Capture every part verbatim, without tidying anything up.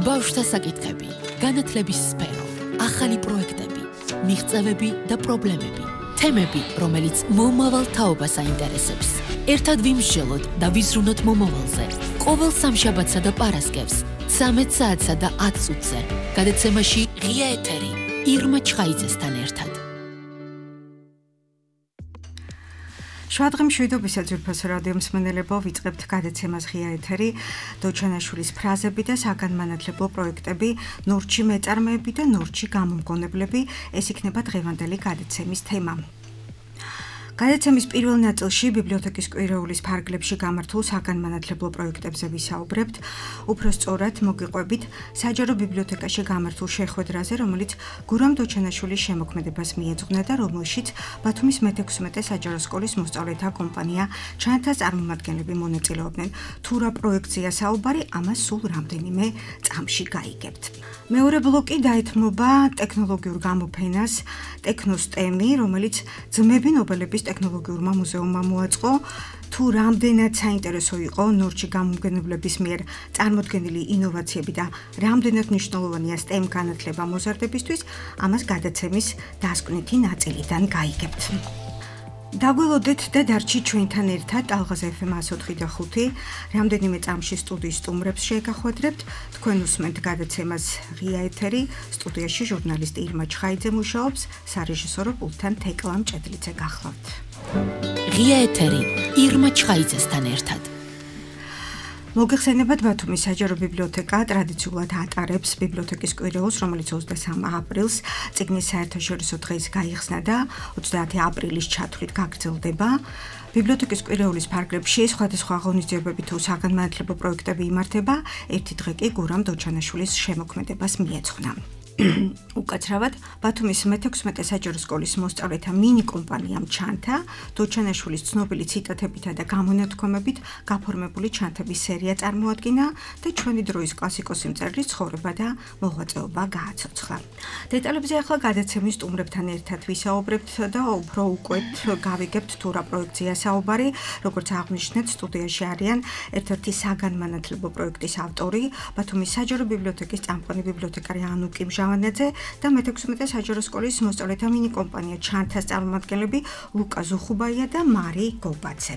ბავშვთა საკითხები, განათლების სფერო, ახალი პროექტები, მიღწევები და პრობლემები, თემები, რომელიც მომავალ თაობას აინტერესებს. ერთად ვიმსჯელოთ და ვიზრუნოთ მომავალზე. ყოველ სამშაბათსა და პარასკევს, ცამეტ საათსა და ათ წუთზე, გადაცემაში ღია ეთერი, ირმა ჩხაიძესთან ერთად. შვადღი მშვიდობისა ძვირფასო რადიო მსმენელებო, ვიწყებთ გადაცემას ღია ეთერი, დოჩანაშვილის ფრაზები და საგანმანათლებლო პროექტები, ნორჩი მეწარმეები და ნორჩი გამომგონებლები, ეს იქნება დღევანდელი გადაცემის თემა. გადაცემის პირველ ნაწილში ბიბლიოთეკის კვირეულის ფარგლებში გამართულ საგანმანათლებლო პროექტებზე ვისაუბრებთ, უფრო სწორად მოგიყვებით საჯარო ბიბლიოთეკაში გამართულ შეხვედრაზე, რომელიც გურამ დოჩანაშვილის შემოქმედებას მიეძღვნა და რომელშიც ბათუმის მეთექვსმეტე საჯარო სკოლის მოსწავლეთა კომპანია ჩანთას წარმომადგენლები მონაწილეობდნენ. თუ რა პროექტზეა საუბარი, ამას სულ რამდენიმე წამში გაიგებთ. მეორე ბლოკი დაეთმობა ტექნოლოგიურ გამოფენას ტექნოსტემი, რომელიც ძმები ნობელების ტექნოლოგიურმა მუზეუმმა მოაწყო. თუ რამდენად საინტერესო იყო ნორჩი გამომგონებლების მიერ წარმოდგენილი ინოვაციები და რამდენად მნიშვნელოვანია STEM განათლება მოზარდებისთვის, ამას გადაცემის დასკვნითი ნაწილიდან გაიგებთ. დაგველოდეთ და დარჩით ჩვენთან ერთად ალღაზ ეფ ემ εκατს ოთხი და ხუთი, რამდენიმე წამში სტუდიის სტუმრებს შეგახვედრებთ, თქვენ უსმენთ გადაცემას ღია ეთერი, სტუდიაში ჟურნალისტი ირმა ჩხაიძე მუშაობს, სარეჟისორო პულტთან თეკლა მჭედლიძე გახლავთ. ღია ეთერი, ირმა ჩხაიძესთან ერთად. მოგეხსენებათ, ბათუმის საჯარო ბიბლიოთეკა ტრადიციულად ატარებს ბიბლიოთეკის კვირეულს, რომელიც ოცდასამი აპრილს წიგნის საერთაშორისო დღეს გაიხსნა და ოცდაათი აპრილის ჩათვლით გაგრძელდება. ბიბლიოთეკის კვირეულის ფარგლებში სხვადასხვა ღონისძიებები თუ საგანმანათლებლო პროექტები იმართება, ერთი დღე კი გურამ დოჩანაშვილის შემოქმედებას მიეძღვნა. უკაცრავად, ბათუმის მეთექვსმეტე საჯარო სკოლის მოსწავლეთა მინი კომპანიამ ჩანთა, დოჩანაშვილის ცნობილი ციტატებითა და გამონათქვამებით გაფორმებული ჩანთების სერია წარმოადგინა და ჩვენი დროის კლასიკოსი მწერლის ცხოვრება და მოღვაწეობა გააცოცხლა. დეტალებზე ახლა გადაცემის სტუმრებთან ერთად ვისაუბრებთ და უფრო უკვეთ გავიგებთ თუ რა პროექტზეა საუბარი. როგორც აღნიშნეთ, სტუდიაში არიან ერთ-ერთი საგანმანათლებლო პროექტის ავტორი, ბათუმის საჯარო ბიბლიოთეკის წამყვანი ბიბლიოთეკარი ანუკი მჟავანაძე და მეთექვსმეტე საჯარო სკოლის მოსწავლეთა მინი კომპანია ჩანთას წარმომადგენლები ლუკა ზუხუბაია და მარი გობაძე.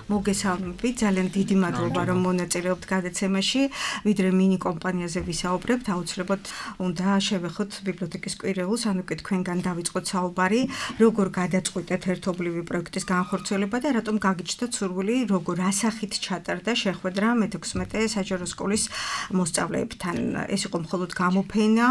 მოგესალმებით, ძალიან დიდი მადლობა რომ მონაწილეობთ გადაცემაში. ვიდრე მინი კომპანიაზე ვისაუბრებთ, აუცილებლად უნდა შევეხოთ ბიბლიოთეკის კვირეულს, ანუ კი თქვენგან დავიწყოთ საუბარი, როგორ გადაწყვიტეთ ერთობლივი პროექტის განხორციელება და რატომ გაგიჩნდათ სურვილი, როგორ ასახით ჩატარდა შეხვედრა მეთექვსმეტე საჯარო სკოლის მოსწავლეებთან. ეს იყო მხოლოდ გამოფენა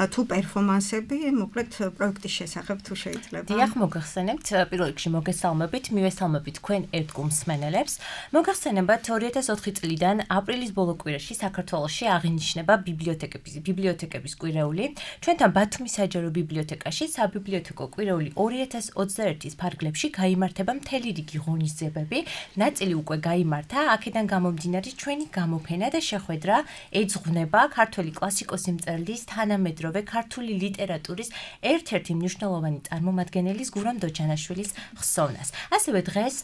თუ პერფორმანსები, მოკლედ პროექტის შესახებ თუ შეიძლება. დიახ, მოგახსენებთ, პირველ რიგში მოგესალმებით, მივესალმებით თქვენ ერთგულ მსმენელებს. მოგახსენებათ, ორი ათას ოთხი წლიდან აპრილის ბოლო კვირაში საქართველოში აღინიშნება ბიბლიოთეკების ბიბლიოთეკების კვირეული. ჩვენთან ბათუმის საჯარო ბიბლიოთეკაში საბიბლიოთეკო კვირეული ორი ათას ოცდაერთის ფარგლებში გაიმართება მთელი რიგი ღონისძიებები. ნაწილი უკვე გაიმართა, აქედან გამომდინარე ჩვენი გამოფენა და შეხვედრა ეძღვნება ქართველი კლასიკოსი მწერლის თანამედროვე ქართული ლიტერატურის ერთ-ერთი მნიშვნელოვანი წარმომადგენლის გურამ დოჩანაშვილის ხსოვნას. ასევე დღეს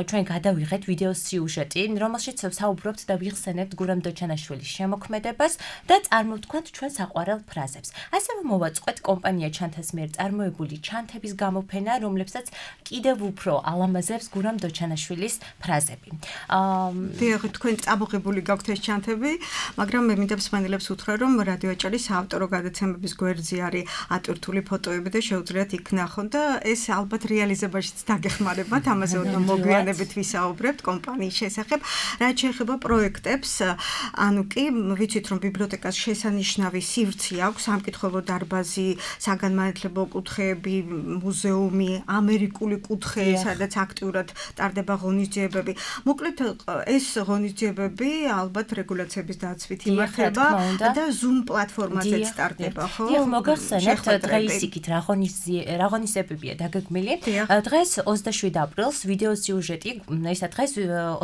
ჩვენ გადავიღეთ ვიდეო სიუჟეტი, რომელშიც საუბრობთ და ვიხსენებთ გურამ დოჩანაშვილის შემოქმედებას და წარმოვთქვათ ჩვენ საყვარელ ფრაზებს. ასევე მოვაწყოთ კომპანია ჩანთას მიერ წარმოებული ჩანთების გამოფენა, რომლებსაც კიდევ უფრო ალამაზებს გურამ დოჩანაშვილის ფრაზები. დიახ, თქვენ წამოღებული გაქვთ ეს ჩანთები, მაგრამ მე მინდა მსმენელებს უთხრა, რომ რადიო აჭარის საავტორო გადაცემების გვერდზე არის ატვირთული ფოტოები და შეუძლიათ იქ ნახონ და ეს ალბათ რეალიზებაშიც დაგეხმარებათ, ამაზე უნდა მოგვიანებით ვისაუბრებთ კომპანიის შესახებ. რაც შეეხება პროექტებს, ანუ კი ვიცით რომ ბიბლიოთეკას შესანიშნავი სივრცე აქვს, სამკითხველო დარბაზი, საგანმანათლებლო კუთხეები, მუზეუმი, ამერიკული კუთხე, სადაც აქტიურად ტარდება ღონისძიებები. მოკლედ ეს ღონისძიებები ალბათ რეგულაციების დაცვით იმართება და Zoom პლატფორმაზეც ტარდება, ხო? დიახ, მოგახსენებთ, დღეს იქით რა ღონისძიებებია დაგეგმილი. დღეს ოცდაშვიდი აპრილს ვიდეო სიუჟეტი ისა დღეს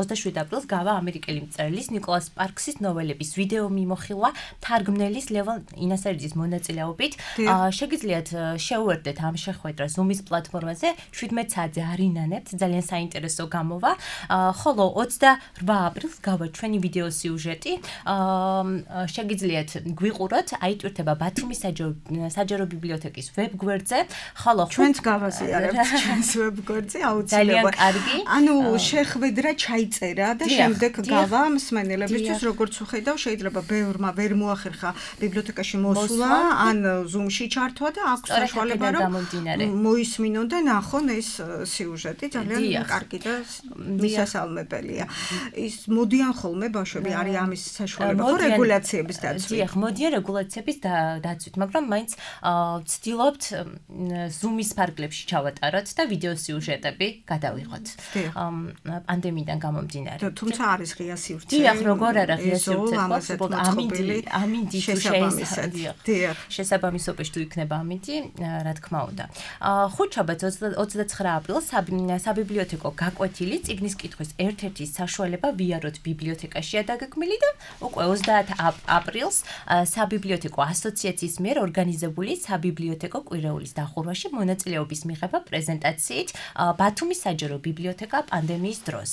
ოცდაშვიდი აპრილს გავა ამერიკელი მწერლის ნიკოლას სპარქსის ნოველების ვიდეო მიმოხილვა თარგმნელის ლევან ინასერიძის მონაწილეობით. შეგიძლიათ შეუერთდეთ ამ შეხვედრას Zoom-ის პლატფორმაზე შვიდმეტ საათზე არ ინანებთ, ძალიან საინტერესო გამოვა. ხოლო ოცდაოთხ აპრილს გავა ჩვენი ვიდეო სიუჟეტი. შეგიძლიათ გვიყუროთ, აიტვირთება ბათუმის საჯარო ბიბლიოთეკის ვებგვერდზე. ხოლო ჩვენც გავაზიარებთ ჩვენს ვებგვერდზე აუცილებლად. ძალიან კარგი. ანუ შეხვედრა ჩაიწერა და შემდეგ გავა მსმენელებისთვის, როგორც ვხედავ, შეიძლება ბევრმა ვერ მოახერხა ბიბლიოთეკაში მოსვლა, ან Zoom-ში ჩართვა და აქვს საშუალება რომ მოისმინონ და ნახონ ეს სიუჟეტი, ძალიან კარგი და მისასალმებელია. ის მოდიან ხოლმე ბავშვები, არის ამის საშუალება ხო რეგულაციების დაცვით. დიახ, მოდიან რეგულაციების დაცვით, მაგრამ მაინც ვცდილობთ Zoom-ის ფარგლებში ჩავატაროთ და ვიდეო სიუჟეტები გადავიღოთ. პანდემიიდან გამომდინარე. თუმცა არის ღია სივრცე. დიახ, როგორ არა ღია სივრცე, ამინდი, ამინდი შესაბამისობაში თუ იქნება ამინდი, რა თქმა უნდა. ხუთშაბათს ოცდაცხრა აპრილს საბიბლიოთეკო გაკვეთილი წიგნის კითხვის ერთ-ერთი საშუალება ვიაროთ ბიბლიოთეკაშია დაგეგმილი და უკვე ოცდაათი აპრილს საბიბლიოთეკო ასოციაციის მიერ ორგანიზებული საბიბლიოთეკო კვირეულის დახურვაში მონაწილეობის მიღება პრეზენტაციით ბათუმის საჯარო ბიბლიოთეკა პანდემიის დროს.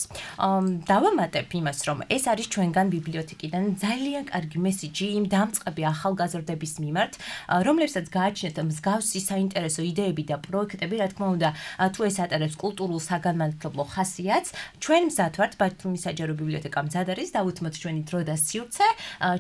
დავამატებ იმას, რომ ეს არის ჩვენგან ბიბლიოთეკიდან ძალიან კარგი მესიჯი იმ დამწყები ახალგაზრდების მიმართ, რომლებსაც გააჩნიათ მსგავსი საინტერესო იდეები და პროექტები, რა თქმა უნდა, თუ ეს ატარებს კულტურულ საგანმანათლებლო ხასიათს, ჩვენ მზად ვართ ბათუმის საჯარო ბიბლიოთეკა მზად არის დავუთმოთ ჩვენი დრო და სივრცე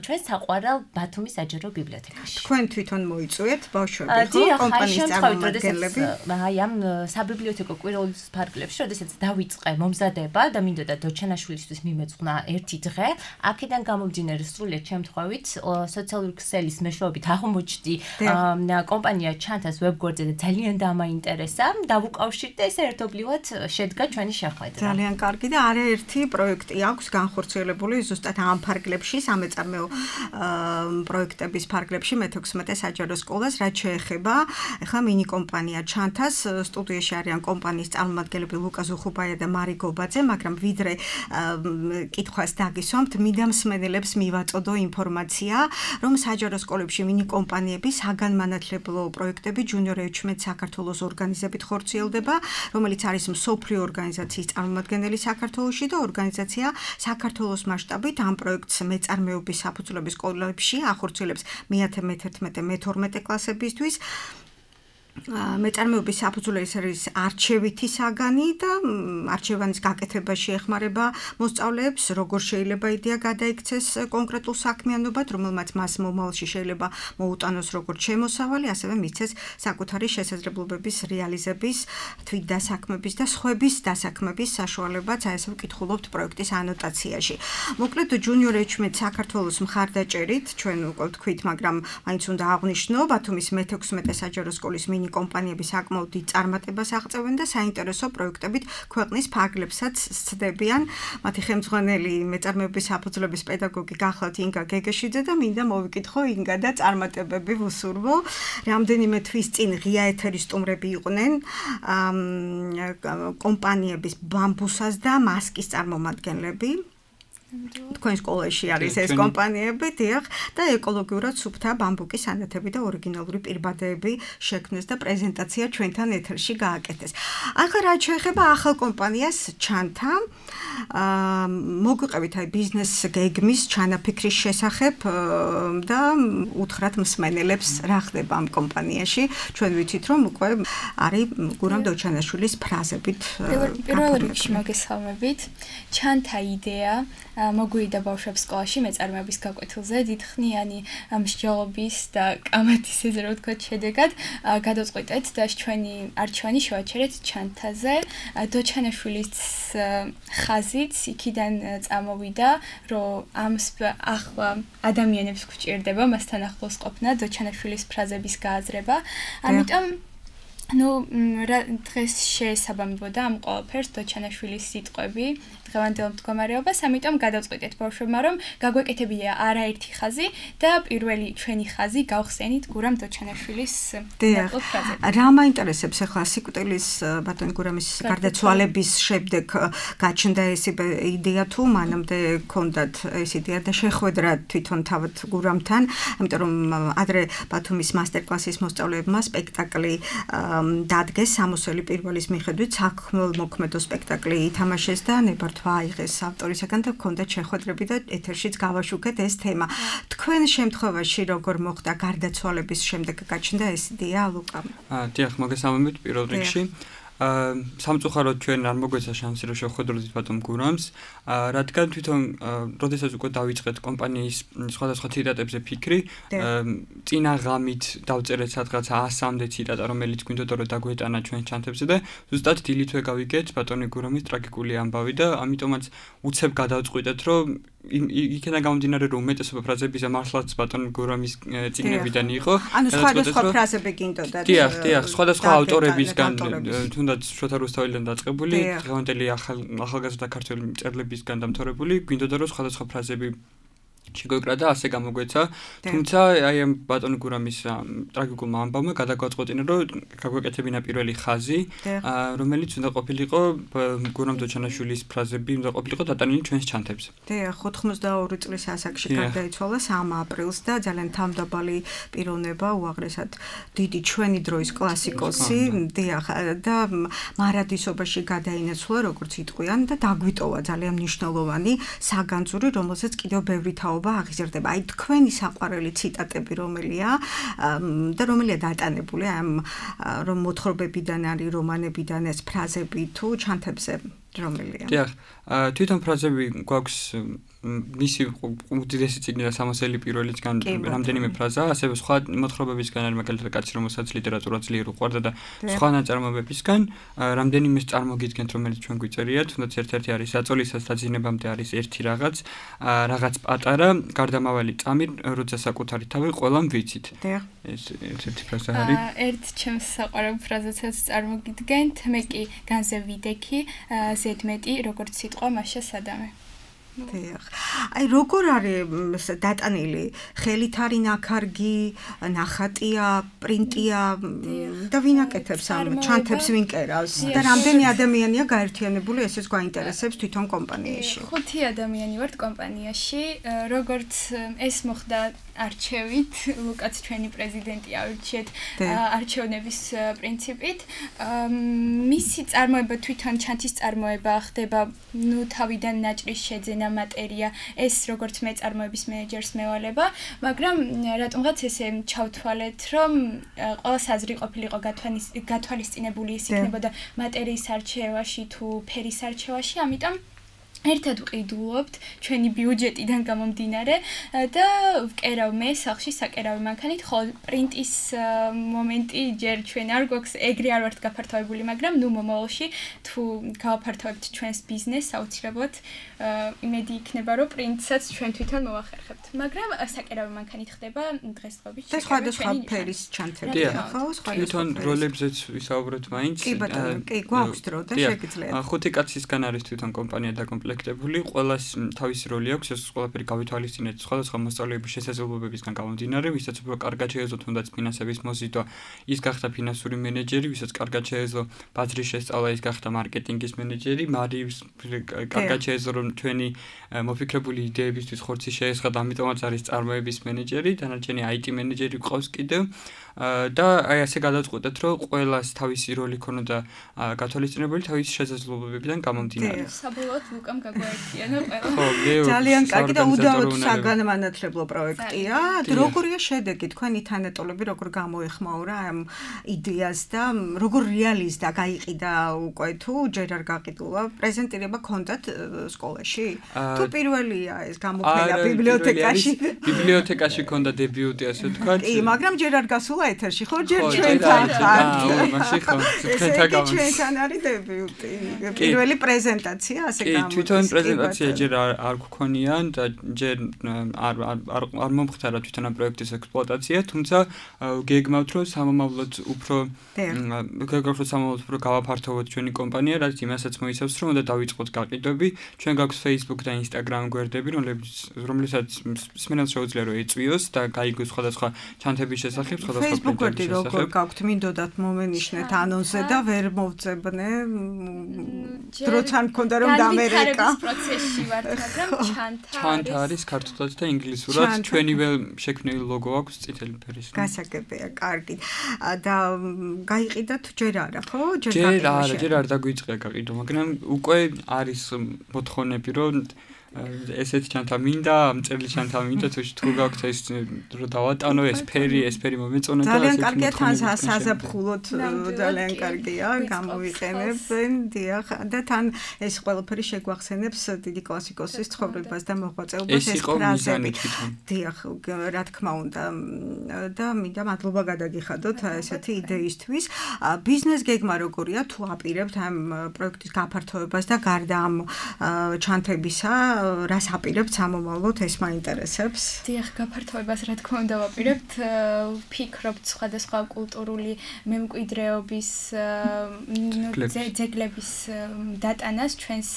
ჩვენ საყვარელ ბათუმის საჯარო ბიბლიოთეკაში. თქვენ თვითონ მოიწვიეთ ბავშვები, ხო, კომპანიის წარმომადგენლები? აი ამ საბიბლიოთეკო კვირეულის ფარგლებში, როდესაც დავიწყე მომზადება და მინდოდა დოჩანაშვილისთვის მიმეწყნა ერთი დღე, აქედან გამომდინარე სრულიად შემთხვევით სოციალური ქსელის მეშვეობით აღმოჩნდი კომპანია ჩანთას ვებგვერდზე და ძალიან დამაინტერესა, დავუკავშირდი ეს ერთობლივად შედგა ჩვენი შეხვედრა. ძალიან კარგი და არაერთი პროექტი აქვს განხორციელებული ზუსტად ამ ფარგლებში, სამეწარმეო პროექტების ფარგლებში მეთექვსმეტე საჯარო სკოლას, რაც შეეხება ახლა მინი კომპანია ჩანთას, სტუდიაში არიან კომპანიის წარმომადგენლები ლუკა ზუხუბაია და მარი გობაძე, მაგრამ ვიდრე კითხვას დაგისვამთ, მინდა მსმენელებს მივაწოდო ინფორმაცია, რომ საჯარო სკოლებში მინი კომპანიების საგანმანათლებლო პროექტები ჯუნიორ ეჩმეტ საქართველოს ორგანიზებით ხორციელდება, რომელიც არის მსოფლიო ორგანიზაციის წარმომადგენელი საქართველოში და ორგანიზაცია საქართველოს მასშტაბით ამ პროექტს მეწარმეობის საფუძვლების სკოლებში ახორციელებს მეათე, მეთერთმეტე, მეთორმეტე კლასებისთვის. მეწარმეობის საფუძველი არის არჩევითი საგანი და არჩევანის გაკეთებაში ეხმარება მოსწავლეებს, როგორ შეიძლება იდეა გადაიქცეს კონკრეტულ საქმიანობად, რომელმაც მას მომავალში შეიძლება მოუტანოს როგორც შემოსავალი, ასევე მისცეს საკუთარი შესაძლებლობების რეალიზების, თვითდასაქმების და სხვების დასაქმების საშუალებაც, აი ესე ვკითხულობთ პროექტის ანოტაციაში. მოკლედ ჯუნიორ ეჩმეტ საქართველოს მხარდაჭერით, ჩვენ უკვე ვთქვით, მაგრამ მაინც უნდა აღვნიშნო, ბათუმის მეთექვსმეტე საჯარო სკოლის მინი კომპანიები საკმაოდ დიდ წარმატებას აღწევენ და საინტერესო პროექტებით ქვეყნის ფარგლებსაც სცდებიან. მათი ხელმძღვანელი მეწარმეობის საფუძვლების პედაგოგი გახლავთ ინგა გეგეშიძე და მინდა მოვიკითხო ინგა და წარმატებები ვუსურვო. რამდენიმე თვის წინ ღია ეთერის სტუმრები იყვნენ კომპანიების ბამბუსას და მასკის წარმომადგენლები. თქვენ სკოლაში არის ეს კომპანიები, დიახ, და ეკოლოგიურად სუფთა ბამბუკის ანათები და ორიგინალური პირბადეები შექმნეს და პრეზენტაცია ჩვენთან ეთერში გააკეთეს. ახლა რაც შეეხება ახალ კომპანიას ჩანთა, მოგვიყევით აი ბიზნეს გეგმის ჩანაფიქრის შესახებ და უთხრათ მსმენელებს რა ხდება ამ კომპანიაში. ჩვენ ვიცით, რომ უკვე არის გურამ დოჩანაშვილის ფრაზებით. პირველ რიგში მოგესალმებით. ჩანთა იდეა მოგვიდა ბავშვებს სკოლაში მეწარმეობის გაკვეთილზე დიდხნიანი მსჯელობის და კამათის ესე რომ ვთქვათ შედეგად გადავწყვიტეთ და ჩვენი არჩევანი შევაჩერეთ ჩანთაზე. დოჩანაშვილის ხაზიც იქიდან წამოვიდა, რომ ამ ახლა ადამიანებს გვჭირდება მასთან ახლოს ყოფნა, დოჩანაშვილის ფრაზების გააზრება. ამიტომ ნუ დღეს შეესაბამებოდა ამ ყველაფერს დოჩანაშვილის სიტყვები, დღევანდელ მდგომარეობას, ამიტომ გადავწყვიტეთ ბავშვებმა, რომ გაგვეკეთებია არაერთი ხაზი და პირველი ჩვენი ხაზი გავხსენით გურამ დოჩანაშვილის ნაკლებ ფრაზები. რა მაინტერესებს ახლა სიკვდილის ბატონი გურამის გარდაცვალების შემდეგ გაჩნდა ეს იდეა თუ მანამდე ქონდათ ეს იდეა და შეხვედრა თვითონ თავად გურამთან, ამიტომ რომ ადრე ბათუმის მასტერკლასის მოსწავლეებმა სპექტაკლი დადგეს სამოსელი პირველის მიხედვით საქმელმოქმედო სპექტაკლი ითამაშეს და ნებართვა აიღეს ავტორისაგან და ჰქონდათ შეხვედრები და ეთერშიც გავაშუქეთ ეს თემა. თქვენ შემთხვევაში როგორ მოხდა გარდაცვალების შემდეგ გაჩნდა ეს იდეა ლუკა? აა დიახ, მოგესალმებით პირველ რიგში. აა სამწუხაროდ ჩვენ არ მოგვეცა შანსი რომ შევხვედროთ ბატონ გურამს, აა რადგან თვითონ როდესაც უკვე დავიწყეთ კომპანიის სხვადასხვა ციტატებზე ფიქრი, წინა ღამით დავწერეთ სადღაც ასამდე ციტატა, რომელიც გვინდოდა რომ დაგვეტანა ჩვენ ჩანთებზე და ზუსტად დილითვე გავიგეთ ბატონი გურამის ტრაგიკული ამბავი და ამიტომაც უცებ გადავწყვიტეთ რომ იქიდან გამომდინარე რომ უმეტესობა ფრაზების მართლაც ბატონ გურამის წიგნებიდან იყო. ანუ სხვადასხვა ფრაზები გინდოდა. დიახ, დიახ, სხვადასხვა ავტორებისგან თუნდაც შოთა რუსთაველიდან დაწყებული, დღევანდელი ახალგაზრდა ქართველი მწერლებისგან დამთავრებული, გვინდოდა რომ სხვადასხვა ფრაზები შეგვეკრა და ასე გამოგვეცა. თუმცა აი ამ ბატონ გურამის ტრაგიკულმა ამბავმა გადაგვაწყვეტინა რომ გაგვეკეთებინა პირველი ხაზი, რომელიც უნდა ყოფილიყო გურამ დოჩანაშვილის ფრაზები, უნდა ყოფილიყო დატანილი ჩვენს ჩანთებზე. დიახ, ოთხმოცდაორი წლის ასაკში გარდაიცვალა სამი აპრილს და ძალიან თავმდაბალი პიროვნება, უაღრესად დიდი ჩვენი დროის კლასიკოსი, დიახ, და მარადისობაში გადაინაცვლა, როგორც იტყვიან და დაგვიტოვა ძალიან მნიშვნელოვანი საგანძური, რომელსაც კიდევ ბევრი თაობა აღიზარდება. აი თქვენი საყვარელი ციტატები რომელია და რომელია დატანებული ამ რომ მოთხრობებიდან არის რომანებიდან ეს ფრაზები თუ ჩანთებზე რომელია? დიახ, თვითონ ფრაზები გვაქვს მისი უდიდესი წიგნი და სამოსელი პირველისგან რამდენიმე ფრაზა, ასევე სხვა მოთხრობებისგან არის მაგალითად კაცი რომელსაც ლიტერატურა ძლიერ უყვარდა და სხვა ნაწარმოებებისგან რამდენიმე წარმოგიდგენთ რომელიც ჩვენ გვიწერიათ, თუნდაც ერთ-ერთი არის საწოლისას დაძინებამდე არის ერთი რაღაც, რაღაც პატარა გარდამავალი წამი, როცა საკუთარი თავი ყველამ ვიცით. ეს ერთ-ერთი ფრაზა არის. ერთ ჩემს საყვარელ ფრაზასაც წარმოგიდგენთ, მე კი განზე ვიდექი, ზედმეტი როგორც სიტყვა მასშა სადამე. დიახ. აი როგორ არის დატანილი? ხელით არის ნაქარგი, ნახატია, პრინტია და ვინ აკეთებს ამ ჩანთებს, ვინ კერავს? და რამდენი ადამიანია გაერთიანებული, ესეც გვაინტერესებს თვითონ კომპანიაში. ხუთი ადამიანი ვართ კომპანიაში, როგორც ეს მოხდა არჩევით, ლუკაც ჩვენი პრეზიდენტი ავირჩიეთ არჩევნების პრინციპით. მისი წარმოება თვითონ ჩანთის წარმოება ხდება, ნუ თავიდან ნაჭრის შეძენა მატერია, ეს როგორც მეწარმოების მენეჯერს მევალება, მაგრამ რატომღაც ესე ჩავთვალეთ, რომ ყველა საზრი ყოფილიყო გათვალისწინებული ის იქნებოდა მატერიის არჩევაში თუ ფერის არჩევაში, ამიტომ ერთად ვყიდულობთ ჩვენი ბიუჯეტიდან გამომდინარე და ვკერავ მე სახში საკერავი მანქანით, ხოლო პრინტის მომენტი ჯერ ჩვენ არ გვაქვს, ეგრე არ ვართ გაფართოებული, მაგრამ ნუ მომავალში თუ გავაფართოვებთ ჩვენს ბიზნესს, აუცილებლად იმედი იქნება, რომ პრინტსაც ჩვენ თვითონ მოვახერხებთ. მაგრამ საკერავი მანქანით ხდება დღესდღეობით და სხვადასხვა ფერის ჩანთები, ხო? თვითონ როლებზეც ვისაუბრეთ მაინც. კი ბატონო, კი, გვაქვს დრო და შეგიძლიათ. ხუთი კაცისგან არის თვითონ კომპანია დაკომპლექტებული, ყველას თავისი როლი აქვს, ეს ყველაფერი გავითვალისწინეთ სხვადასხვა მოსწავლეების შესაძლებლობებისგან გამომდინარე, ვისაც უფრო კარგად შეეძლო თუნდაც ფინანსების მოზიდვა, ის გახდა ფინანსური მენეჯერი, ვისაც კარგად შეეძლო ბაზრის შესწავლა, ის გახდა მარკეტინგის მენეჯერი, მარიის კარგად შეეძლო რომ ჩვენი მოფიქრებული იდეებისთვის ხორცი შეესხა, ამიტომაც არის წარმოების მენეჯერი, დანარჩენი აი ტი მენეჯერი გვყავს კიდევ. და აი ასე გადავწყვეტეთ, რომ ყველას თავისი როლი ქონოდა გათვალისწინებული თავისი შესაძლებლობებიდან გამომდინარე. საბოლოოდ ლუკამ გაგვაერთიანა ყველა. ხო, ძალიან კარგი და უდავოდ საგანმანათლებლო პროექტია. როგორია შედეგი თქვენი თანატოლები, როგორ გამოეხმაურა ამ იდეას და როგორ რეალიზდა, გაიყიდა უკვე თუ ჯერ არ გაყიდულა, პრეზენტირება ქონდათ სკოლაში? თუ პირველია ეს გამოფენა ბიბლიოთეკაში? ბიბლიოთეკაში ქონდა დებიუტი, ასე ვთქვათ. კი, მაგრამ ჯერ არ გასულა ეთერში, ხო, ჯერ ჩვენთან ხართ. მაშინ ხო, ჩვენთან გამოს. ჩვენთან არის დებიუტი. პირველი პრეზენტაცია, ასე გამოდგა. კი, თვითონ პრეზენტაცია ჯერ არ გქონია და ჯერ არ არ არ მომხდარა თვითონ ამ პროექტის ექსპლუატაცია, თუმცა გეგმავთ რომ სამომავლოდ უფრო გეგმავთ სამომავლოდ უფრო გავაფართოვოთ ჩვენი კომპანია, რაც იმასაც მოიცავს რომ უნდა დავიწყოთ გაყიდვები, ჩვენ გაქვს Facebook და Instagram გვერდები, რომლებიც რომლითაც მსმენელს შეუძლია რომ ეწვიოს და გაიგოს სხვადასხვა ჩანთების შესახებ, სხვადასხვა Facebook გვერდი როგორ გაქვთ, მინდოდათ მომენიშნეთ ანონსზე და ვერ მოვწებნე. დროც არ მქონდა რომ დამერეკა. პროცესში ვართ, მაგრამ ჩანთა ჩანთა არის ქართულად და ინგლისურად, ჩვენივე შექმნილი ლოგო აქვს წითელი ფერის. გასაგებია, კარგი. და გაიყიდათ ჯერ არა, ხო? ჯერ არა, ჯერ არ დაგვიწყია გაყიდვა, მაგრამ უკვე არის მოთხოვნები რომ ესეთ ჩანთა მინდა, ამ წერილი ჩანთა მინდა, თუ თუ გაქვთ ეს რომ დავატანო ეს ფერი, ეს ფერი მომეწონა და ძალიან კარგია თან საზაფხულოთ, ძალიან კარგია, გამოვიყენებენ, დიახ, და თან ეს ყველაფერი შეგვახსენებს დიდი კლასიკოსის ცხოვრებას და მოღვაწეობას ეს ფრაზები. დიახ, რა თქმა უნდა, და მინდა მადლობა გადაგიხადოთ ესეთი იდეისთვის. ბიზნეს გეგმა როგორია, თუ აპირებთ ამ პროექტის გაფართოებას და გარდა ამ ჩანთებისა რას აპირებთ სამომავლოდ, ეს მაინტერესებს. დიახ, გაფართოებას რა თქმა უნდა ვაპირებთ, ვფიქრობთ სხვადასხვა კულტურული მემკვიდრეობის ძეგლების დატანას ჩვენს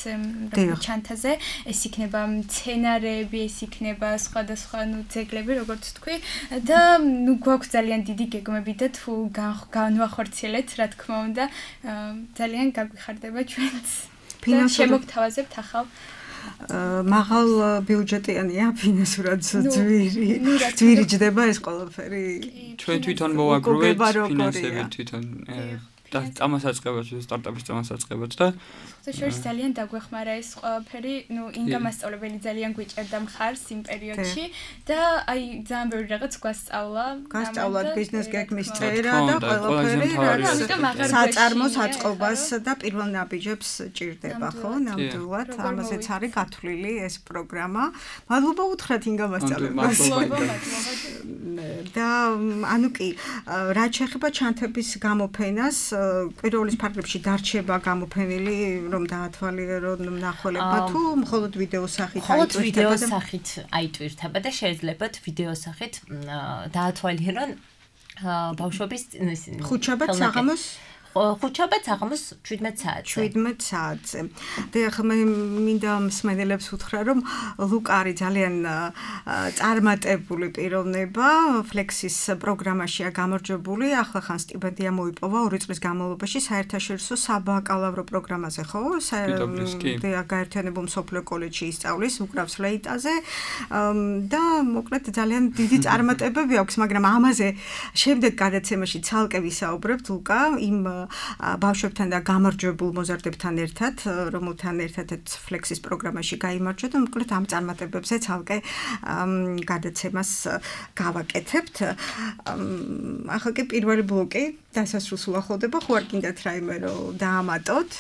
ჩანთაზე, ეს იქნება მცენარეები, ეს იქნება სხვადასხვა ნუ ძეგლები, როგორც თქვი, და ნუ გვაქვს ძალიან დიდი გეგმები და თუ განვახორციელეთ, რა თქმა უნდა, ძალიან გაგვიხარდება ჩვენც. შემოგთავაზებთ ახალ მაღალ ბიუჯეტიანია ფინანსურად ძვირი ძვირი ჯდება ეს ყველაფერი ჩვენ თვითონ მოვაგროვეთ ფინანსები თვითონ და წამოსაწყებად სტარტაპის წამოსაწყებად და შორის ძალიან დაგვეხმარა ეს ყველაფერი, ნუ ინგა მასწავლებელი ძალიან გვიჭერდა მხარს იმ პერიოდში და აი ძალიან ბევრი რაღაც გვასწავლა. გასწავლათ ბიზნეს გეგმის წერა და ყველაფერი, რაც საწარმოს აწყობას და პირველ ნაბიჯებს ჭირდება, ხო? ნამდვილად, ამაზეც არის გათვლილი ეს პროგრამა. მადლობა უთხრათ ინგა მასწავლებელს. და ანუ კი, რაც შეეხება ჩანთების გამოფენას, კვირაულის ფარგლებში დარჩება გამოფენილი რომ დაათვალიერონ მნახველებმა თუ მხოლოდ ვიდეო სახით აიტვირთება? მხოლოდ ვიდეო სახით აიტვირთება და შეძლებათ ვიდეო სახით დაათვალიერონ ბავშვობის ხუთშაბათ საღამოს ხუთშაბათ საღამოს შვიდმეტ საათზე. შვიდმეტ საათზე. და ახლა მე მინდა მსმენელებს უთხრა რომ ლუკა არის ძალიან წარმატებული პიროვნება, Flexis პროგრამაშია გამარჯვებული, ახლა ხან სტიპენდია მოიპოვა ორი წლის განმავლობაში საერთაშორისო საბაკალავრო პროგრამაზე, ხო? და გაერთიანებულ მსოფლიო კოლეჯში ისწავლის უკრავს ლეიტაზე და მოკლედ ძალიან დიდი წარმატებები აქვს, მაგრამ ამაზე შემდეგ გადაცემაში ცალკე ვისაუბრებთ ლუკა იმ ბავშვებთან და გამარჯვებულ მოზარდებთან ერთად, რომელთან ერთადაც Flexis პროგრამაში გაიმარჯვა და მოკლედ ამ წარმატებებზე ცალკე გადაცემას გავაკეთებთ. ახლა კი პირველი ბლოკი დასასრულს უახლოვდება, ხო არ გინდათ რაიმე რომ დაამატოთ?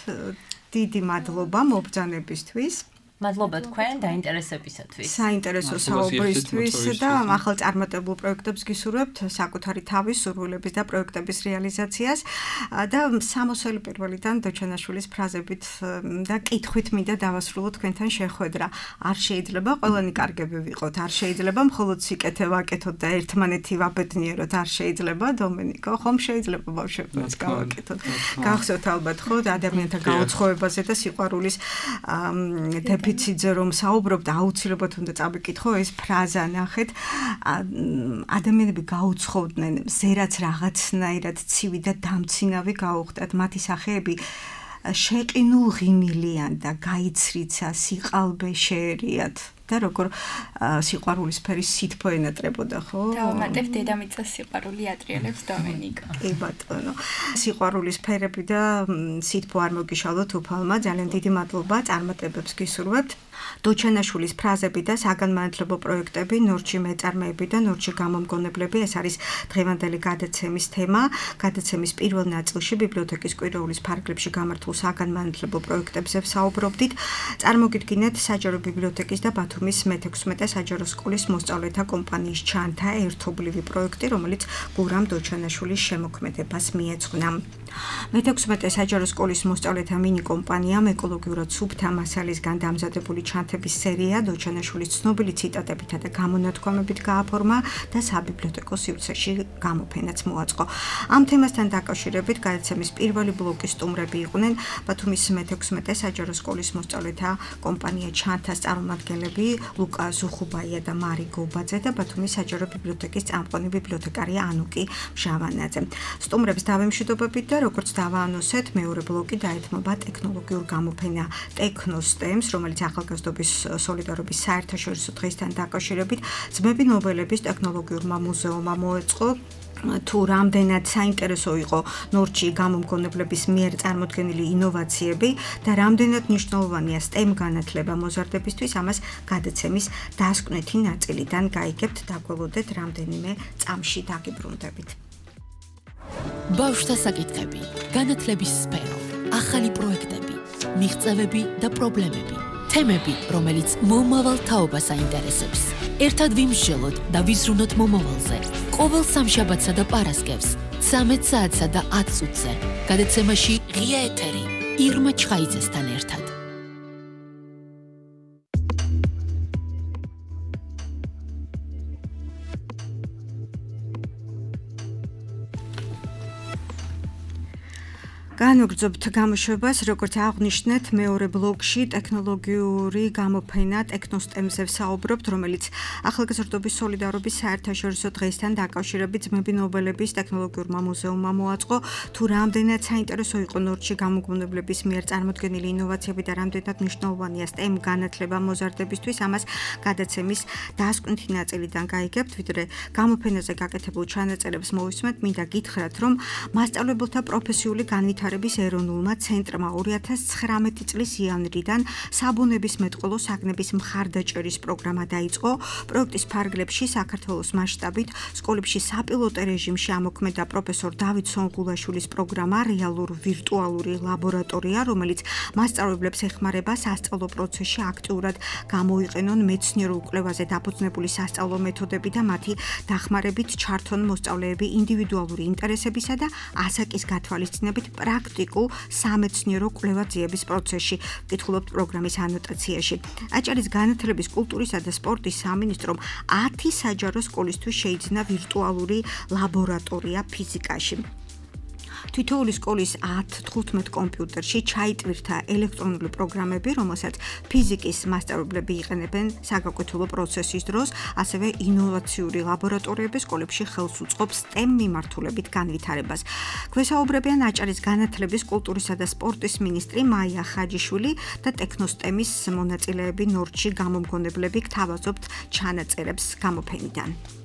დიდი მადლობა მობრძანებისთვის. მადლობა თქვენ დაინტერესებისათვის. საინტერესო საუბრისთვის და ახალ წარმატებულ პროექტებს გისურვებთ საკუთარი თავის სურვილების და პროექტების რეალიზაციას და სამოსელი პირველიდან დოჩანაშვილის ფრაზებით და კითხვით მინდა დავასრულოთ თქვენთან შეხვედრა. არ შეიძლება ყველანი კარგები ვიყოთ, არ შეიძლება მხოლოდ სიკეთე ვაკეთოთ და ერთმანეთი ვაბედნიეროთ, არ შეიძლება დომენიკო, ხომ შეიძლება ბავშვებიც გავაკეთოთ. გახსოვთ ალბათ ხო ადამიანთა გაუცხოებაზე და სიყვარულის დეფიციტზე რომ საუბრობთ, აუცილებლად უნდა წავიკითხო ეს ფრაზა, ნახეთ, ადამიანები გაუცხოვდნენ, ზერაც რაღაცნაირად ცივი და დამცინავი გაუხდათ, მათი სახეები შეყინულ ღიმილიან და გაიცრიცა სიყალბე შეერიათ. და როგორ სიყვარულის სფერის სითბო ენატრებოდა, ხო? დავამატებ დედამიწას სიყვარული ატრიალებს დომენიკა. კი ბატონო. სიყვარულის სფერები და სითბო არ მოგიშალოთ უფალმა, ძალიან დიდი მადლობა, წარმატებებს გისურვებთ. დოჩანაშვილის ფრაზები და საგანმანათლებლო პროექტები, ნორჩი მეწარმეები და ნორჩი გამომგონებლები, ეს არის დღევანდელი გადაცემის თემა. გადაცემის პირველ ნაწილში ბიბლიოთეკის კვირაულის ფარგლებში გამართულ საგანმანათლებლო პროექტებზე ვსაუბრობდით. წარმოგიდგინეთ საჯარო ბიბლიოთეკის და ბათუმის მეთექვსმეტე საჯარო სკოლის მოსწავლეთა კომპანიის ჩანთა ერთობლივი პროექტი, რომელიც გურამ დოჩანაშვილის შემოქმედებას მიეძღვნა. მეთექვსმეტე საჯარო სკოლის მოსწავლეთა მინი კომპანიამ ეკოლოგიურად სუფთა მასალისგან დამზადებული ჩანთების სერია დოჩანაშვილის ცნობილი ციტატებითა და გამონათქვამებით გააფორმა და საბიბლიოთეკო სივრცეში გამოფენაც მოაწყო. ამ თემასთან დაკავშირებით გადაცემის პირველი ბლოკის სტუმრები იყვნენ ბათუმის მეთექვსმეტე საჯარო სკოლის მოსწავლეთა კომპანია ჩანთას წარმომადგენლები ლუკა ზუხუბაია და მარი გობაძე და ბათუმის საჯარო ბიბლიოთეკის წამყვანი ბიბლიოთეკარი ანუკი მჟავანაძე. სტუმრებს დავემშვიდობებით და როგორც დავაანონსეთ, მეორე ბლოკი დაეთმობა ტექნოლოგიურ გამოფენა ტექნოსტემს, რომელიც ახალგაზრდობის სოლიდარობის საერთაშორისო დღესთან დაკავშირებით ძმები ნობელების ტექნოლოგიურმა მუზეუმმა მოეწყო. თუ რამდენად საინტერესო იყო ნორჩი გამომგონებლების მიერ წარმოქმნილი ინოვაციები და რამდენად მნიშვნელოვანია STEM განათლება მოზარდებისთვის, ამას გადაცემის დასკვნითი ნაწილიდან გაიგებთ. დაგველოდეთ რამდენიმე წამში დაგიბრუნდებით. ბავშვთა საკითხები, განათლების სფერო, ახალი პროექტები, მიღწევები და პრობლემები, თემები, რომელიც მომავალ თაობას აინტერესებს. ერთად ვიმსჯელოთ და ვიზრუნოთ მომავალზე. ყოველ სამშაბათსა და პარასკევს, ცამეტ საათსა და ათ წუთზე. გადაცემაში ღია ეთერი ირმა ჩხაიძესთან ერთად. განვგრძობთ გამოშვებას, როგორც აღვნიშნეთ, მეორე ბლოკში ტექნოლოგიური გამოფენა ტექნოსტემზე ვსაუბრობთ, რომელიც ახალგაზრდობის სოლიდარობის საერთაშორისო დღესთან დაკავშირებით ძმები ნობელების ტექნოლოგიურმა მუზეუმმა მოაწყო. თუ რამდენად საინტერესო იყო ნორჩი გამომგონებლების მიერ წარმოქმნილი ინოვაციები და რამდენად მნიშვნელოვანია STEM განათლება მოზარდებისთვის, ამას გადაცემის დასკვნითი ნაწილიდან გაიგებთ. ვიდრე გამოფენაზე გაკეთებულ ჩანაწერებს მოვისმენთ, მინდა გითხრათ, რომ მასწავლებელთა პროფესიული განვითარების ეროვნულმა ცენტრმა ორი ათას ცხრამეტი წლის იანვრიდან საბუნების მეტყველო საგნების მხარდაჭერის პროგრამა დაიწყო. პროექტის ფარგლებში საქართველოს მასშტაბით სკოლებში საპილოტო რეჟიმში ამოქმედა პროფესორ დავით სონგულაშვილის პროგრამა რეალურ ვირტუალური ლაბორატორია, რომელიც მასწავლებლებს ეხმარება სასწავლო პროცესში აქტიურად გამოიყენონ მეცნიერულ კვლევაზე დაფუძნებული სასწავლო მეთოდები და მათი დახმარებით ჩართონ მოსწავლეები ინდივიდუალური ინტერესებისა და ასაკის გათვალისწინებით პრაქტიკულ სამეცნიერო კვლევა-ძიების პროცესში. ვკითხულობთ პროგრამის ანოტაციაში. აჭარის განათლების, კულტურისა და სპორტის სამინისტრომ ათი საჯარო სკოლისთვის შეიძინა ვირტუალური ლაბორატორია ფიზიკაში. თითოეული სკოლის ათ თხუთმეტ კომპიუტერში ჩაიტვირთა ელექტრონული პროგრამები, რომელსაც ფიზიკის მასწავლებლები იყენებენ საგაკვეთილო პროცესის დროს, ასევე ინოვაციური ლაბორატორიები სკოლებში ხელს უწყობს STEM მიმართულებით განვითარებას. გვესაუბრებიან აჭარის განათლების, კულტურისა და სპორტის მინისტრი მაია ხაჯიშვილი და ტექნოსტემის მონაწილეები ნორჩი გამომგონებლები. გთავაზობთ ჩანაწერებს გამოფენიდან.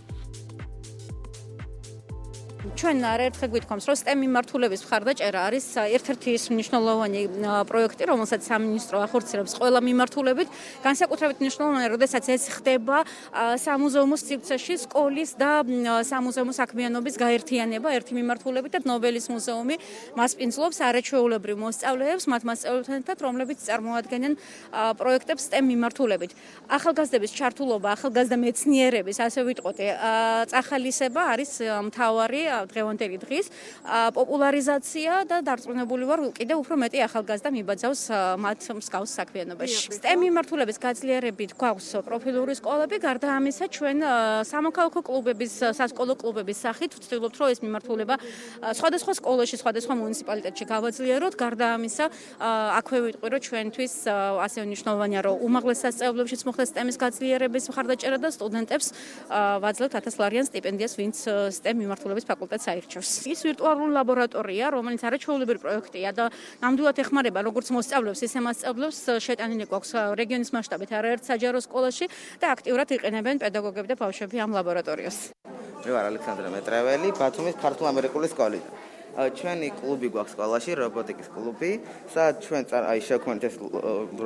ჩვენ არაერთხელ გვითხოვს, რომ STEM მიმართულების მხარდაჭერა არის ერთ-ერთი ის მნიშვნელოვანი პროექტი, რომელსაც სამინისტრო ახორციელებს ყველა მიმართულებით. განსაკუთრებით მნიშვნელოვანია, როდესაც ეს ხდება სამუზეუმო სივრცეში, სკოლის და სამუზეუმო საქმიანობის გაერთიანება ერთი მიმართულებით და ნობელის მუზეუმი მას პინძლობს არაჩვეულებრივ მოსწავლეებს, მათ მასწავლებლებთან, რომლებიც წარმოადგენენ პროექტებს STEM მიმართულებით. ახალგაზრდების ჩართულობა, ახალგაზრდა მეცნიერების, ასე ვიტყოდე, წახალისება არის მთავარი დღევანდელი დღის პოპულარიზაცია და დარწმუნებული ვარ, კიდევ უფრო მეტი ახალგაზრდა მიბაძავს მათ მსგავს საქმიანობაში. STEM მიმართულების გაძლიერებით გვაქვს პროფილური სკოლები, გარდა ამისა ჩვენ სამოქალაქო კლუბების, სასკოლო კლუბების სახით ვცდილობთ, რომ ეს მიმართულება სხვადასხვა სკოლაში, სხვადასხვა მუნიციპალიტეტში გავაძლიეროთ. გარდა ამისა, აქვე ვიტყვი, რომ ჩვენთვის ასე მნიშვნელოვანია, რომ უმაღლეს სასწავლებლებშიც მოხდეს STEM-ის გაძლიერების მხარდაჭერა და სტუდენტებს ვაძლევთ ათას ლარიან სტიპენდიას, ვინც STEM მიმართულების ფაკულტეტს აირჩევს. ის ვირტუალური ლაბორატორია, რომელიც არაჩვეულებრივი პროექტია და ნამდვილად ეხმარება როგორც მოსწავლეებს, ისე მასწავლებლებს. შეტანილი გვაქვს რეგიონის მასშტაბით არაერთ საჯარო სკოლაში და აქტიურად იყენებენ პედაგოგები და ბავშვები ამ ლაბორატორიას. მე ვარ ალექსანდრე მეტრეველი, ბათუმის ქართულ-ამერიკული სკოლიდან. ჩვენი კლუბი გვაქვს სკოლაში, რობოტიკის კლუბი, სადაც ჩვენ აი შევქმნით ეს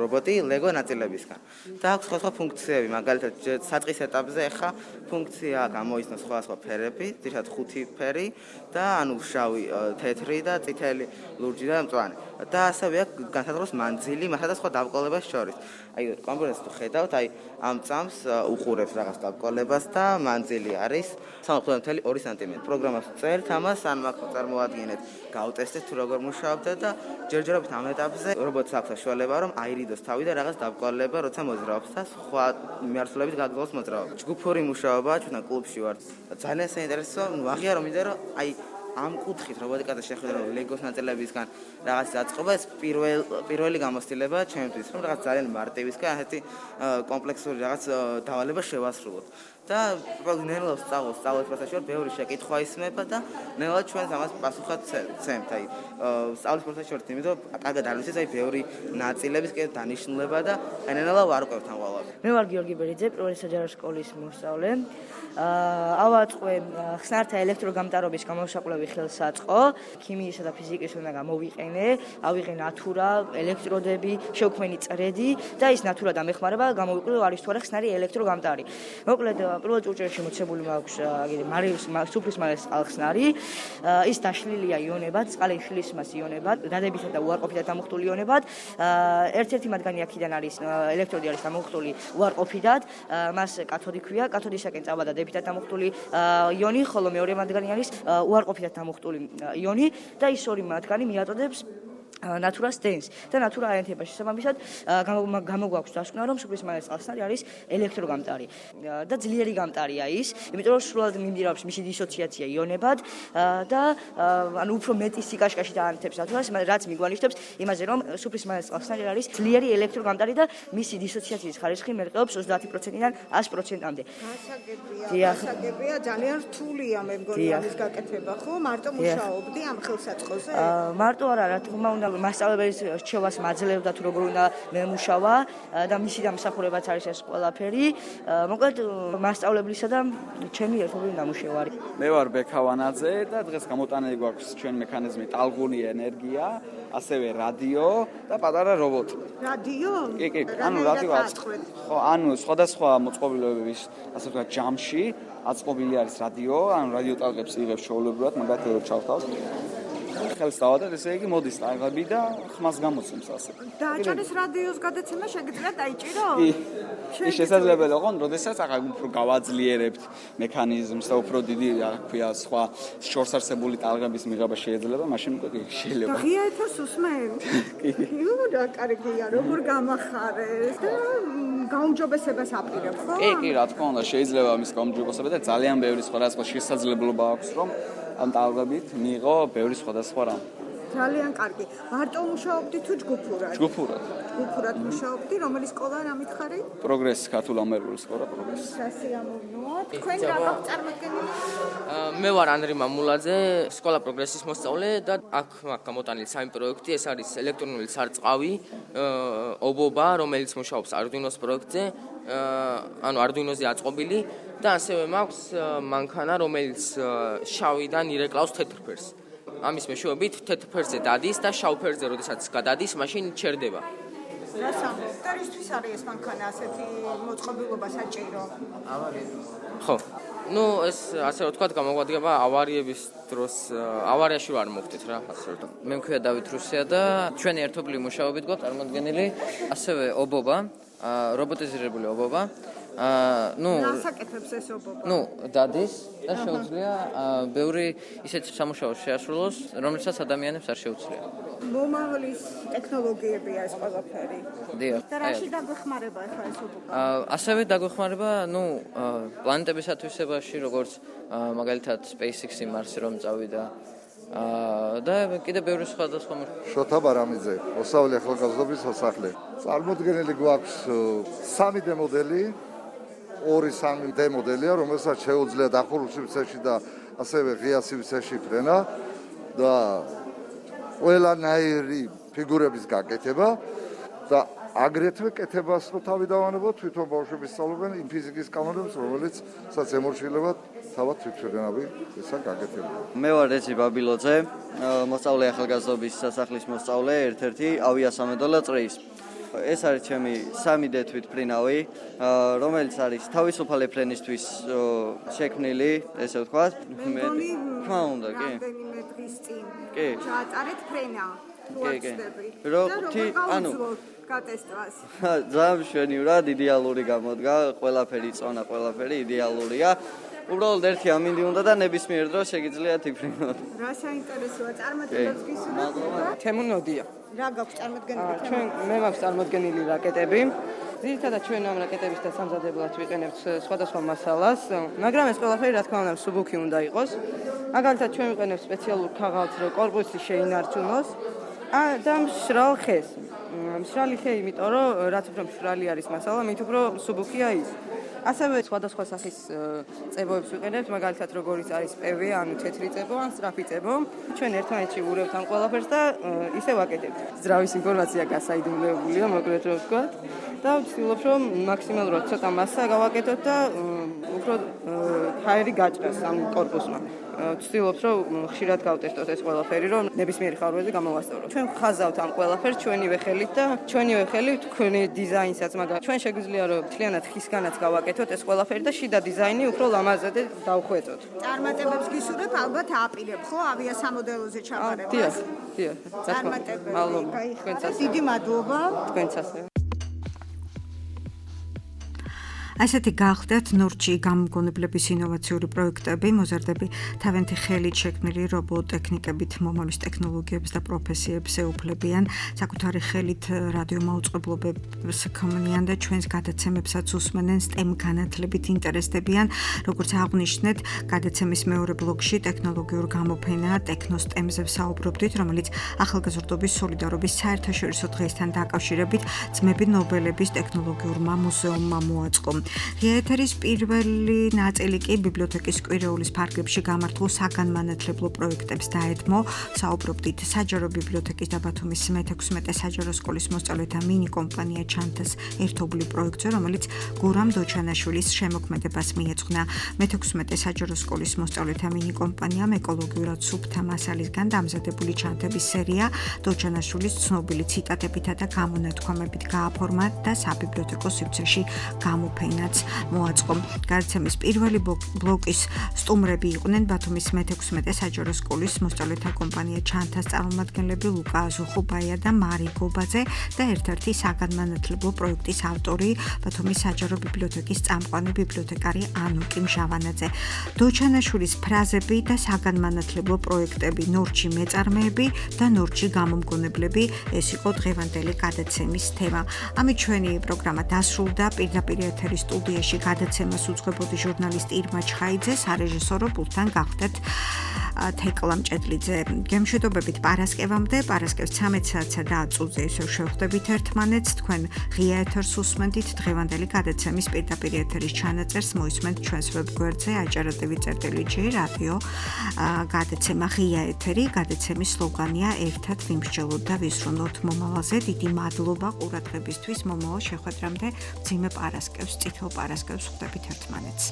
რობოტი ლეგო ნაწილებისგან. და აქვს სხვა სხვა ფუნქციები, მაგალითად საწყის ეტაპზე ახლა ფუნქცია გამოიცნო სხვა სხვა ფერები, ძირითადად ხუთი ფერი და ანუ შავი, თეთრი და წითელი, ლურჯი და მწვანე. და ასევე აქვს განსაზღვროს მანძილი მასა და სხვა დავკოლებას შორის. აი კომპიუტერს თუ ხედავთ, აი ამ წამს უყურებს რაღაც დავკოლებას და მანძილი არის სამოცდაოთხი წუთი ორი სანტიმეტრი. პროგრამას წერთ ამას, ან მაგ წარმოადგენთ, გავტესტეთ თუ როგორ მუშაობდა და ჯერჯერობით ამ ეტაპზე რობოტს აქვს საშუალება რომ აირიდოს თავი და რაღაც დავკოლება როცა მოძრაობს და სხვა მიმართულებით გაგრძელოს მოძრაობა. ჯგუფური მუშაობა ჩვენ კლუბში ვართ. ძალიან საინტერესო, ნუ აღიარო მინდა რომ აი ამ კუთხით რობოტიკაზე შეხვედრა ლეგოს ნაწილებისგან რაღაც დაწყობა ეს პირველ პირველი გამოცდილება ჩემთვის რომ რაღაც ძალიან მარტივისგან ასეთი კომპლექსური რაღაც დავალება შევასრულოთ და ნელა სწავლობს სწავლის პროცესში ვარ ბევრი შეკითხვა ისმება და ნელა ჩვენს ამას პასუხად ცემთ აი სწავლის პროცესში ვარ იმიტომ კარგად არ ვიცით აი ბევრი ნაწილების კიდე დანიშნულება და აი ნელა ვარ უყევთ ამ ყველაფერს. მე ვარ გიორგი ბერიძე, პირველი საჯარო სკოლის მოსწავლე. ავაწყე ხსნართა ელექტროგამტარობის გამოსაყვლელი ხელსაწყო, ქიმიისა და ფიზიკის უნდა გამოვიყენე, ავიღე ნატურა, ელექტროდები, შევქმენი წრედი და ის ნატურა დამეხმარება გამოვიყვე არის თუ არა ხსნარი ელექტროგამტარი. მოკლედ პირველ წურჭერში მოცემული მაქვს აგერი მარიუს სუფრის მარიუს წყალხსნარი, ის დაშლილია იონებად, წყალი შლის მას იონებად, დადებითა და უარყოფითად დამუხტული იონებად. ერთ-ერთი მათგანი აქედან არის ელექტროდი არის დამუხტული უარყოფითად, მას კათოდი ქვია, კათოდისაკენ წავა და დადებითად დამუხტული იონი, ხოლო მეორე მათგანი არის უარყოფითად დამუხტული იონი და ის ორი მათგანი მიაწოდებს ნატურას დენს და ნატურა აერთება შესაბამისად გამოგვაქვს დასკვნა რომ სუფრის მარიუს წყალხსნარი არის ელექტროგამტარი და ძლიერი გამტარია ის, იმიტომ რომ სრულად მიმდინარეობს მისი დისოციაცია იონებად და ანუ უფრო მეტი სიკაშკაში დაანთებს ნატურას, რაც მიგვანიშნებს იმაზე რომ სუფრის მარიუს წყალხსნარი არის ძლიერი ელექტროგამტარი და მისი დისოციაციის ხარისხი მერყეობს ოცდაათი პროცენტიდან ას პროცენტამდე. გასაგებია, გასაგებია, ძალიან რთულია მე მგონი ამის გაკეთება, ხო? მარტო მუშაობდი ამ ხელსაწყოზე? მარტო არა, რა თქმა უნდა მასწავლებლის რჩევას მაძლევდა თუ როგორ უნდა მემუშავა და მისი დამსახურებაც არის ეს ყველაფერი. მოკლედ მასწავლებლისა და ჩემი ერთობლივი ნამუშევარი. მე ვარ ბექავანაძე და დღეს გამოტანილი გვაქვს ჩვენ მექანიზმი ტალღუნი ენერგია, ასევე რადიო და პატარა რობოტი. რადიო? კი, კი, ანუ რადიო აწყობთ. ხო, ანუ სხვადასხვა მოწყობილობების, ასე ვთქვათ, ჯამში აწყობილი არის რადიო, ანუ რადიო ტალღებს იღებს ჩვეულებრივად, მაგათაც ჩავთავთ. ხელს დავადეთ, ესე იგი მოდის ტალღები და ხმას გამოცემს ასე. დააჭერეს რადიოს გადაცემა შეგიძლიათ დაიჭირო? კი. ის შესაძლებელია, ხო, როდესაც ახლა უფრო გავაძლიერებთ მექანიზმს და უფრო დიდი, რა ქვია, სხვა შორსარსებული ტალღების მიღება შეიძლება, მაშინ უკვე შეიძლება. და ღია ეთერს უსმენთ? კი. იუ, რა კარგია, როგორ გამახარეს და გაუმჯობესებას აპირებ, ხო? კი, კი, რა თქმა უნდა, შეიძლება ამის გაუმჯობესება და ძალიან ბევრი სხვადასხვა შესაძლებლობა აქვს, რომ ამ ტალღებით მიიღო ბევრი სხვადასხვა რამ. ძალიან კარგი. მარტო მუშაობდი თუ ჯგუფურად? ჯგუფურად. ჯგუფურად მუშაობდი, რომელი სკოლა რა მითხარი? პროგრესი, ქართულ ამერული სკოლა პროგრესი. სასიამოვნოა. თქვენ რა გაქვთ წარმოქმნილი? მე ვარ ანრი მამულაძე, სკოლა პროგრესის მოსწავლე და აქ მაქვს გამოტანილი სამი პროექტი, ეს არის ელექტრონული სარწყავი, ობობა, რომელიც მუშაობს Arduino-ს პროექტზე, ანუ Arduino-ზე აწყობილი და ასევე მაქვს მანქანა, რომელიც შავიდან ირეკლავს თეთრ ფერს. ამის მეშვეობით თეთრ ფერზე დადის და შავ ფერზე როდესაც გადადის, მაშინ ჩერდება. რასამყაროა? და რისთვის არის ეს მანქანა ასეთი მოწყობილობა საჭირო? ავარია. ხო. ну ეს ასე რომ ვთქვათ გამოგვადგება ავარიების დროს ავარიაში ვარ მოხდით რა ასე რომ მე მქვია დავით რუსია და ჩვენი ერთობლივი მუშაობით გვაქვს წარმოდგენილი ასევე ობობა რობოტიზირებული ობობა აა ну რასაკეთებს ეს ობობა? ну დადის და შეუძლია ბევრი ისეთ სამუშაოს შეასრულოს, რომელსაც ადამიანებს არ შეუძლია. მომავლის ტექნოლოგიებია ეს ყველაფერი. დიახ. და რაში დაგვეხმარება ახლა ეს ობობა? აა ასევე დაგვეხმარება, ну პლანეტების ათვისებაში, როგორც მაგალითად SpaceX-ი მარსზე რომ წავიდა. აა და კიდე ბევრი სხვადასხვა შოთა ბარამიძე, მოსავლე ახალგაზრდობის სასახლე. წარმოდგენილი გვაქვს სამი დე მოდელი, ორი სამი დე მოდელია, რომელსაც შეუძლია დახურულ სივრცეში და ასევე ღია სივრცეში ფრენა და ყველანაირი ფიგურების გაკეთება და აგრეთვე კეთებას რო თავი დავანებოთ, თვითონ ბავშვები სწავლობენ იმ ფიზიკის კანონებს, რომელიც სადაც ემორჩილებად თავად თვითშეგნებები ესა გაკეთება. მე ვარ რეჯი ბაბილოძე, მოსწავლე ახალგაზრდობის სასახლის მოსწავლე, ერთ-ერთი ავიასამედოლა წრის. ეს არის ჩემი სამი დე თვითმფრინავი, რომელიც არის თავისუფალი ფრენისთვის შექმნილი, ესე ვთქვათ. მე თქმა უნდა, კი. რამდენიმე დღის წინ კი. ჩაატარეთ ფრენა. კი, კი. როთი, ანუ გატესტვას. ძალიან მშვენივრად, იდეალური გამოდგა, ყველაფერი წონა, ყველაფერი იდეალურია. უბრალოდ ერთი ამინდი უნდა და ნებისმიერ დროს შეგიძლიათ იფრინოთ. რა საინტერესოა, წარმატებებს გისურვებთ? თემუნოდია. რა გაქვს წარმოდგენილი? ჩვენ მე მაქვს წარმოდგენილი რაკეტები. ძირითადად ჩვენ ამ რაკეტების და სამზადებლად ვიყენებთ სხვადასხვა მასალას, მაგრამ ეს ყველაფერი რა თქმა უნდა მსუბუქი უნდა იყოს. მაგალითად ჩვენ ვიყენებთ სპეციალურ ქაღალდს, რომ კორპუსი შეინარჩუნოს. და მშრალ ხეს. მშრალი ხე, იმიტომ რომ რაც უფრო მშრალი არის მასალა, მით უფრო მსუბუქია ის. ასევე სხვადასხვა სახის წებოებს ვიყენებთ, მაგალითად როგორიც არის პევ, ანუ თეთრი წებო, ან სწრაფი წებო. ჩვენ ერთმანეთში ვურევთ ამ ყველაფერს და ისე ვაკეთებთ. ძრავის ინფორმაცია გასაიდუმლოებულია, მოკლედ რომ ვთქვათ. და ვცდილობ, რომ მაქსიმალურად ცოტა მასა გავაკეთოთ და უფრო ჰაერი გაჭრას ამ კორპუსმა. ვცდილობ, რომ ხშირად გავტესტოთ ეს ყველაფერი, რომ ნებისმიერი ხარვეზე გამოვასწორო. ჩვენ ხაზავთ ამ ყველაფერს ჩვენივე ხელით და ჩვენივე ხელით თქვენი დიზაინსაც, მაგრამ ჩვენ შეგვიძლია რომ მთლიანად ხისგანაც გავაკეთოთ ეს ყველაფერი და შიდა დიზაინი უფრო ლამაზად დავხვეწოთ. წარმატებებს გისურვებ, ალბათ აპირებ, ხო, ავიასამოდელოზე ჩაბარებას? დიახ, დიახ. წარმატებები. მადლობა. თქვენსაც. დიდი მადლობა. თქვენსაც. ასეთი გახდათ ნორჩი გამოგონებლების ინოვაციური პროექტები, მოზარდები თავენთი ხელით შექმნილი რობოტექნიკებით მომავლის ტექნოლოგიებს და პროფესიებს ეუფლებიან, საკუთარი ხელით რადიომაუწყებლობებს ქმნიან და ჩვენს გადაცემებსაც უსმენენ, STEM განათლებით ინტერესდებიან, როგორც აღვნიშნეთ, გადაცემის მეორე ბლოკში ტექნოლოგიურ გამოფენა ტექნოსტემზე ვსაუბრობდით, რომელიც ახალგაზრდობის სოლიდარობის საერთაშორისო დღესთან დაკავშირებით ძმები ნობელების ტექნოლოგიურმა მუზეუმმა მოაწყო. ღია ეთერის პირველი ნაწილი კი ბიბლიოთეკის კვირეულის ფარგლებში გამართულ საგანმანათლებლო პროექტებს დაედმო. საუბრობდით საჯარო ბიბლიოთეკის და ბათუმის მეთექვსმეტე საჯარო სკოლის მოსწავლეთა მინი კომპანია ჩანთას ერთობლივ პროექტზე, რომელიც გურამ დოჩანაშვილის შემოქმედებას მიეძღვნა. მეთექვსმეტე საჯარო სკოლის მოსწავლეთა მინი კომპანიამ ეკოლოგიურად სუფთა მასალისგან დამზადებული ჩანთების სერია დოჩანაშვილის ცნობილი ციტატებითა და გამონათქვამებით გააფორმა და საბიბლიოთეკო სივრცეში გამოფენა მოაწყო. გადაცემის პირველი ბლოკის სტუმრები იყვნენ ბათუმის მეთექვსმეტე საჯარო სკოლის მოსწავლეთა კომპანია ჩანთას წარმომადგენლები ლუკა აზუხუბაია და მარი გობაძე და ერთ-ერთი საგანმანათლებლო პროექტის ავტორი ბათუმის საჯარო ბიბლიოთეკის წამყვანი ბიბლიოთეკარი ანუკი მჟავანაძე. დოჩანაშვილის ფრაზები და საგანმანათლებლო პროექტები, ნორჩი მეწარმეები და ნორჩი გამომგონებლები, ეს იყო დღევანდელი გადაცემის თემა. ამით ჩვენი პროგრამა დასრულდა. პირდაპირ ეთერის სტუდიაში გადაცემას უძღვებოდი ჟურნალისტი ირმა ჩხაიძე, სარეჟისორო პულტთან გახდათ თეკლა მჭედლიძე. გემშვიდობებით პარასკევამდე, პარასკევს ცამეტ საათსა და ათს წუთზე ისევ შევხვდებით ერთმანეთს. თქვენ ღია ეთერს უსმენთ, დღევანდელი გადაცემის პირდაპირ ეთერის ჩანაწერს მოისმენთ ჩვენს ვებგვერდზე აჭარა.ტვ წერტილი ჯი რადიო გადაცემა ღია ეთერი. გადაცემის სლოგანია ერთად ვიმსჯელოთ და ვისრუნოთ მომავალზე. დიდი მადლობა ყურადღებისთვის. მომავალ შეხვედრამდე მძიმე პარასკევს, წითელ პარასკევს ხვდებით ერთმანეთს.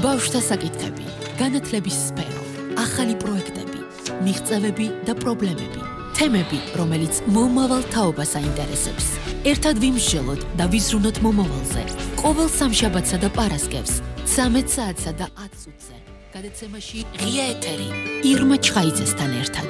ბავშვთა საკითხები, განათლების სფერო, ახალი პროექტები, მიღწევები და პრობლემები, თემები, რომელიც მომავალ თაობას აინტერესებს. ერთად ვიმსჯელოთ და ვიზრუნოთ მომავალზე. ყოველ სამშაბათსა და პარასკევს, ცამეტ საათსა და ათს წუთზე. გადაცემაში ღია ეთერი ირმა ჩხაიძესთან ერთად.